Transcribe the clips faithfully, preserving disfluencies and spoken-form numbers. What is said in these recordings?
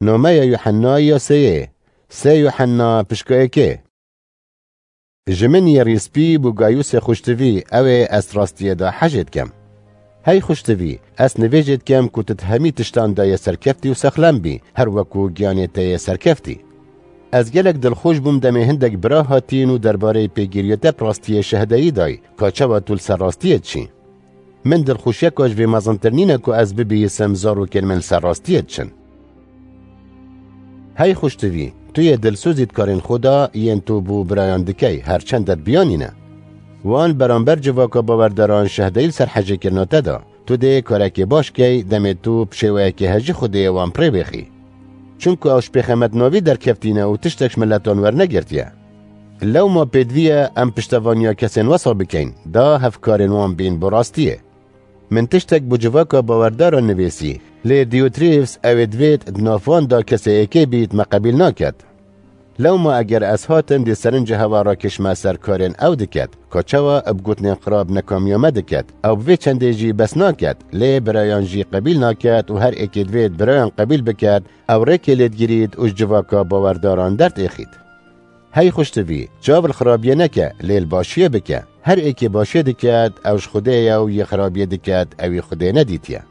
Nameya Yuhennayê ya sêyê, sê Yuhenna pişka êkê. Ji min yê rîspî bû Gayusê xuştivî, ew ê ez rastiyê de hejê dikem. Hey xuştivî, ez nivêjê dikem ku tu di hemî tiştan de yê serkeftî û sexlem bî, her wekû giyanê te yê serkeftî. Ez gelek dilxweş bûm demê hindek bira hatîn û derbareyê pêgiriya te bi rastiyê şehdeyî dayî, ka çawa tu li ser rastiyê diçî. Min dilxweşiyeka ji vê mezintir nîne ku ez bibihîsim zarokên min li ser rastiyê diçin. Hey xuştivî, tu yê dilsozî di karên xwe de yên tu bo birayan dikey, her çend te biyanîne. Wan beramber civaka bawerdaran şehdeyî li ser hejêkirina te da. Tu dê karekê baş key, demê tu bi şêweyekê hejî Xwedê wan bi rê bêxî. Çunku ew ji pêxemet navî derkeftîne û tiştek ji miletan wernegirtiye. Lewma pêdivî ye em piştevaniya kesên wesa bikeyn, da hevkarên wan bên bo rastiyê. Min tiştek bo civaka bawerdaran nivîsî, lê Diotrîfs ew ê divêt di nav wan de kesê êkê bît me qebîl naket. Lewma eger ez hatim dê serinca hewa rakişme ser karên ew diket, ka çawa bi gotinên xirab nekamiya me diket, ew bi vê çendê jî bes naket, lê birayan jî qebîl naket û her êkê divêt birayan qebîl biket, ew rêkê lê digirît û ji civaka bawerdaran derdêxît. Hey xuştivî, çav li xirabiyê neke, lê li başiyê bike. Her êkê başiyê diket, ew ji Xwedê ye û yê xirabiyê diket, ew ê Xwedê nedîtiye.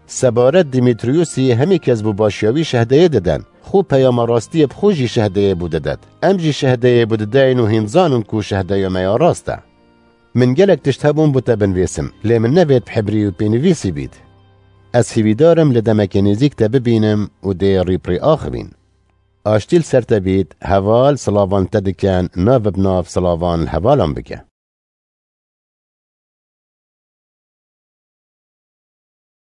Sebaret Dimitriyusî hemî kes bo başiya wî şehdeyê diden. Xwe peyama rastiyê bi xwe jî şehdeyê bo didet. Em jî şehdeyê bo dideyn û hîn zanin ku şehdeya me ya rast e. Min gelek tişt hebûn bo te binivîsim, lê min nevêt bi hibrî û pênivîsî bît. Ez hîvîdar im li demekê nêzîk te bibînim û dê rî bi rî axivîn. Aştî li ser te bît, heval silavan te dikin, nav bi nav silavan li hevalan bike.